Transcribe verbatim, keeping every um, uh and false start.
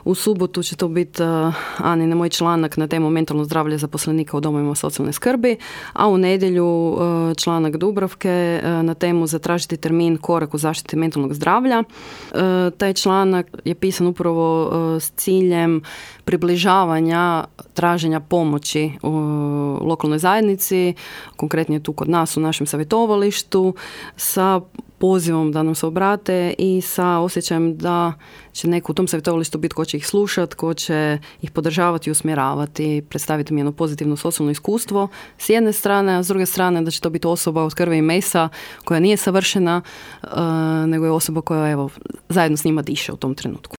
U subotu će to biti uh, Anine moj članak na temu mentalno zdravlje zaposlenika u domovima socijalne skrbi, a u nedjelju uh, članak Dubravke uh, na temu zatražiti termin korak u zaštiti mentalnog zdravlja. Uh, taj članak je pisan upravo uh, s ciljem približavanja traženja pomoći u lokalnoj zajednici, konkretnije tu kod nas u našem savjetovalištu, sa pozivom da nam se obrate i sa osjećajem da će neko u tom savjetovalištu biti ko će ih slušati, ko će ih podržavati i usmjeravati, predstaviti mi jedno pozitivno socijalno iskustvo s jedne strane, a s druge strane da će to biti osoba od krvi i mesa koja nije savršena, uh, nego je osoba koja evo, zajedno s njima diše u tom trenutku.